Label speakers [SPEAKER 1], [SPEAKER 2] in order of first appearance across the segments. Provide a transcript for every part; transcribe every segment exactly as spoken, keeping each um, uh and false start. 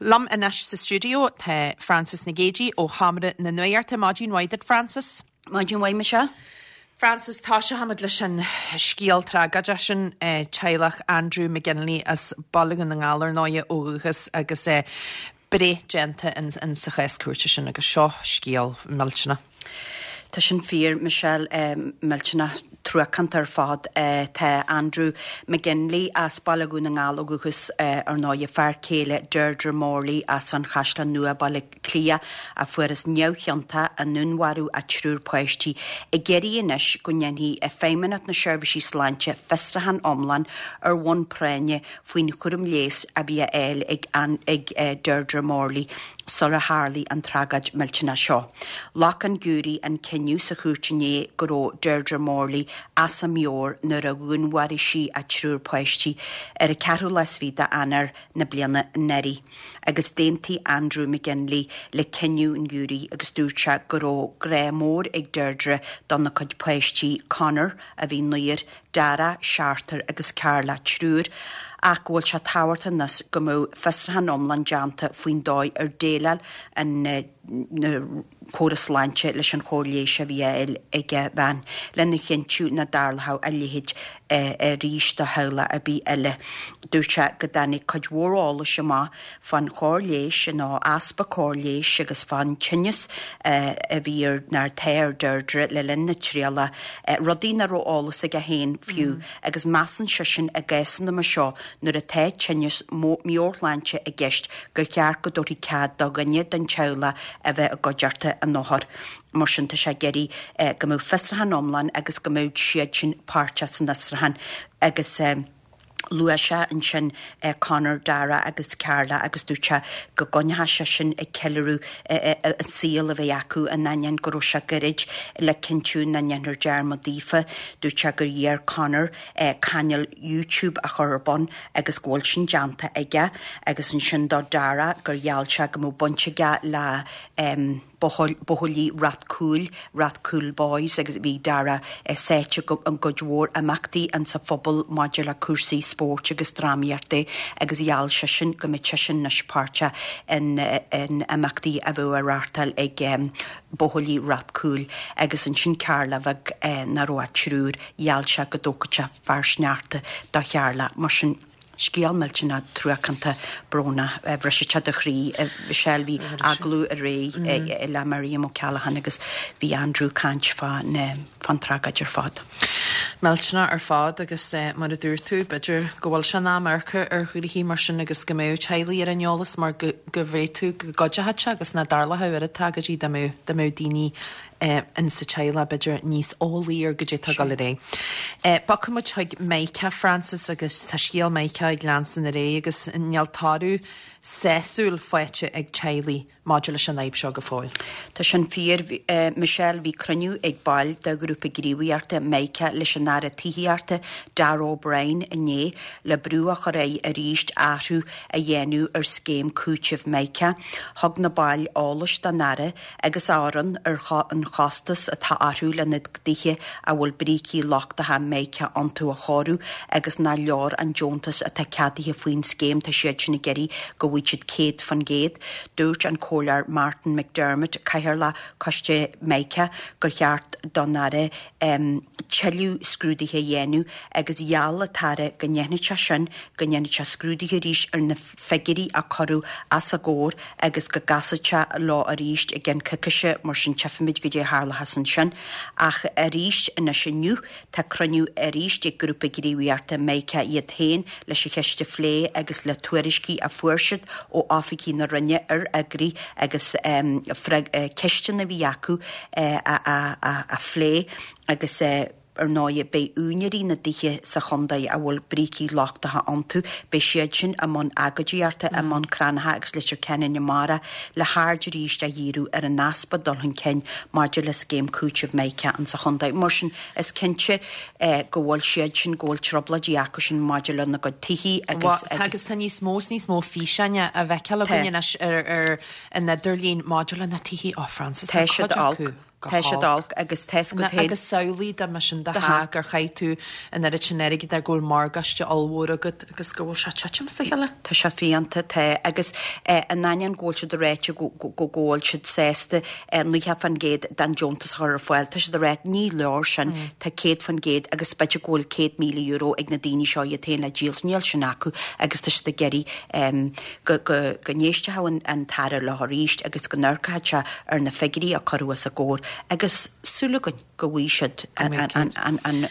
[SPEAKER 1] Liom anois sa stiúideo tá Frances Nic Géadaigh ó Sheomra na Nuachta. Maidin mhaith duit, Frances.
[SPEAKER 2] Maidin mhaith, Michelle.
[SPEAKER 1] Frances, toiseochaimid leis an scéal tragóideach sin, eh, teaghlach Andrew McGinley as Baile Dhún na nGall ar ndóigh ó dhúchas agus eh, breith déanta in, in sa chás cúirte sin agus seo scéal millteanach.
[SPEAKER 2] Tá sin fíor, Michelle, eh, millteanach, truacánta ar fad. eh, Tá Andrew McGinley as Baile Dhún na nGall ó dhúchas, eh, ar ndóigh, fear céile Deirdre Morley as an Chaisleán Nua, Baile Cliath, a fuarthas neamhchiontach i ndúnmharú a triúr páistí, ag iarraidh anois go ndéanfaidh Feidhmeannacht na Seirbhísí Sláinte fiosrúchán iomlán ar bhonn práinne faoin chúram leighis a bhí á fháil ag, ag eh, Deirdre Morley sular tharlaigh an tragóid millteanach seo. Ghlac an giúiré an cinneadh sa chúirt inné go raibh Deirdre Morley as a meabhair nuair a dhúnmharaigh sí a triúr páistí ar an ceathrú lá is fiche d'Eanáir na bliana anuraidh. Agus d'aontaigh Andrew McGinley le cinneadh an ghiúiré agus dúirt sé go raibh grá mór ag Deirdre dona cuid páistí, Conor, a bhí naonúr, Dara, seachtar, agus Carla, triúr, ach go bhfuil sé tábhachtach anois go mbeadh fiosrúchán iomlán déanta faoin dóigh ar dhéileáil an na córas sláinte leis an chóir leighis a bhí á fháil ag a bhean, lena chinntiú nach dtarlódh a leithéid arís do theaghlach ar bith eile. Dúirt sé go dtáinig cuid mhór eolais amach fán chóir leighis nó easpa cóir leighis agus fán tinneas a bhí ar nó atá ar Deirdre le linn na trialach, rudaí nach raibh eolas aige féin fiú, agus measann seisean i gcásanna mar seo nuair atá tinneas meabhairshláinte i gceist gur cheart go dtabharfaí cead do dhuine den teaghlach a bheith i gcuideachta an othair. Mar sin tá sé ag iarraidh go mbeadh fiosrúchán iomlán agus go mbeadh siad sin páirteach san fhiosrúchán agus luaigh sé ansin Conor, Dara agus Carla agus dúirt sé go gcoinneodh sé sin ag ceiliúradh an saol a bheith acu in ainneoin go raibh sé gairid le cinntiú nach ndéanfar dearmad daofa. Dúirt sé gur iarr Conor cainéal YouTube a chur ar bun agus go bhfuil sin déanta aige agus ansin do Dara gur gheall sé go mbeadh baint aige le Buachaillí Ráth Cúil, Rathcoole Boys, agus bhí Dara sáite i gcuid mhór imeachtaí insa phobal maidir le cúrsaí spóirt agus drámaíochta agus gheall seisean go mbeadh seisean anois páirteach in imeachtaí a bheadh á reáchtáil ag Buachaillí Ráth Cúil. Agus ansin Carla bheag, nach raibh ach triúr, gheall sé go dtógfadh sé fear sneachta do Charla. Mar sin, scéal millteanach truacánta brónach. Bhrisfeadh sé do chroí. Michelle, bhí agallamh aréir le Miriam O'Callaghan agus bhí Andrew ag caint fán tragóid ar fad.
[SPEAKER 1] Millteanach ar fad agus mar a dúirt tú, b'fhéidir go bhfuil sé in am amharc ar ghnoithí mar sin agus go mbeadh teaghlaigh ar an eolas mar go bhféadfadh go gcuideochadh sé agus nach dtarlódh oiread tragóidí dá mbeadh daoine in sa teaghlach b'fhéidir níos eolaí ar goidé atá ag dul ar aghaidh. Bogfaidh muid chuig Mica, Frances, agus tá scéal Mica ag leanstan ar aghaidh agus níl toradh sásúil faighte ag teaghlaigh maidir leis an fhadhb seo go fóill.
[SPEAKER 2] Tá sin fíor, Michelle. Bhí cruinniú ag baill de ghrúpa gníomhaíochta Mica leis an Aire Tithíochta, Darragh O'Brien, inné le brú a chur air arís athrú a dhéanamh ar scéim cúitimh Mica. Thug na baill eolais don Aire agus a fhoireann ar an chostas atá orthu lena dtithe a bhfuil brící lochtacha Mica iontu a chóiriú agus nach leor an deontas atá ceadaithe faoin scéim. Tá siad sin ag iarraidh go bhfaighidh siad céad faoin gcéad. Dúirt an Comhairleoir Martin McDermott, Cathaoirleach Choiste Mica, gur cheart don Aire tuilleadh scrúduithe a dhéanamh agus gheall an tAire go ndéanfadh sé sin, go ndéanfadh sé scrúduithe arís ar na figiúirí a cuireadh os a gcomhair agus go gcasfadh sé leo arís i gceann coicíse, mar sin tchífimid goidé a tharlóchas ansin. Ach arís anois inniu tá cruinniú arís ag grúpa gníomhaíochta Mica iad féin leis an cheist a phlé agus le tuairiscí a fuair siad ó oifigigh na Roinne ar fhigiúirí agus ceisteanna a bhí acu a phlé agus ar ndóigh beidh úinéirí na dtithe sa chontae a bhfuil brící lochtacha iontu, beidh siad sin i mbun agóidíochta i mBun Cranncha agus Leitir Ceanainn amárach le haird arís a dhíriú ar an easpa dul chun cinn maidir le scéim cúitimh Mica insa chontae. Mar sin, is cinnte go bhfuil siad sin, go bhfuil trioblóidí acu sin maidir lena gcuid tithí agus.
[SPEAKER 1] Tá, agus tá níos mó is níos mó físeáin á bhfeiceáil againn anois ar an idirlíon maidir le na tithí. Ó, Frances, tá
[SPEAKER 2] cuid acu. Tá siad olc agus tá go
[SPEAKER 1] Agus samhlaigh dá mba sin do theach gur chaith tú an oiread sin airgid air go bhfuil morgáiste ollmhór agat agus go bhfuil sé ag titim as a chéile.
[SPEAKER 2] Tá sé fiánta tá agus in ainneoin go bhfuil siad ag ráit go go bhfuil siad sásta naocha faoin gcéad den deontas a chur ar fáil. Tá siad ag ráit ní leor sin tá céad faoin gcéad agus b'fhéidir go bhfuil céad míle euro ag na daoine seo iad féin le díol níl sin acu agus tá siad ag iarraidh go go go n-éistfeadh an tAire leo arís agus go n-amharcfadh sé ar na figiúirí a cuireadh os a gcomhair agus súil againn go bhfaighidh siad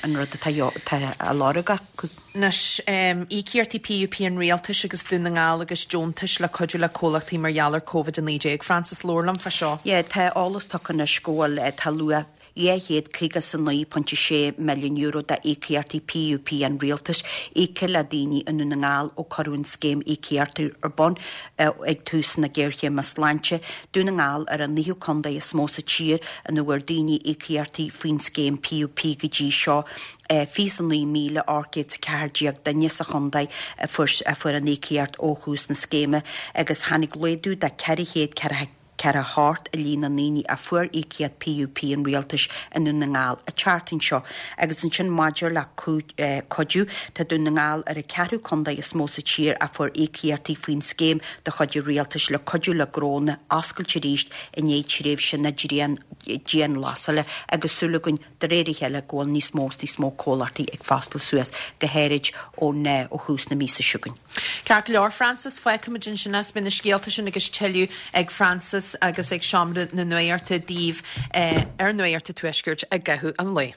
[SPEAKER 2] an rud atá á lorg acu.
[SPEAKER 1] Anois, íocaíochtaí PUP an rialtais agus Dún na nGall agus deontais le cuidiú le comhlachtaí mar gheall ar Covid a naoi déag. Frances, labhair liom fá seo.
[SPEAKER 2] Yeah, tá eolas tugtha anois go bhfuil tá luach dhá chéad caoga is a naoi pointe sé milliún euro d'íocaíochtaí PUP an rialtais íoctha le daoine i nDún na nGall ó cuireadh an scéim íocaíochtaí ar bun ag tús na géarchéime sláinte. Dún na nGall ar an naoú contae is mó sa tír ina bhfuair daoine íocaíochtaí faoin scéim PUP go dtí seo. Fiche a naoi míle ocht gcéad is a ceathair déag duine sa chontae a fuair an íocaíocht ó thús na scéime agus tháinig laghdú de ceithre chéad ceathracha ceithre hocht i líon na ndaoine a fuair íocaíocht PUP an rialtais i nDún na nGall an tseachtain seo. Agus ansin maidir le cuidiú, tá Dún na nGall ar an ceathrú contae is mó sa tír a fuair íocaíochtaí faoin scéim de chuid an rialtais le cuidiú le gnónna oscailt arís i ndiaidh tréimhse na dianghlasála agus súil againn de réir a chéile go bhfuil níos mó is níos mó comhlachtaí ag foscladh suas, go háirid ón ó thús na míosa seo chugainn.
[SPEAKER 1] Ceart go leor, Frances, fágfaimid ansin é. Beidh na scéalta sin agus tuilleadh ag Frances agus ag Seomra na Nuachta daoibh ar Nuacht an Tuaiscirt i gcaitheamh an lae.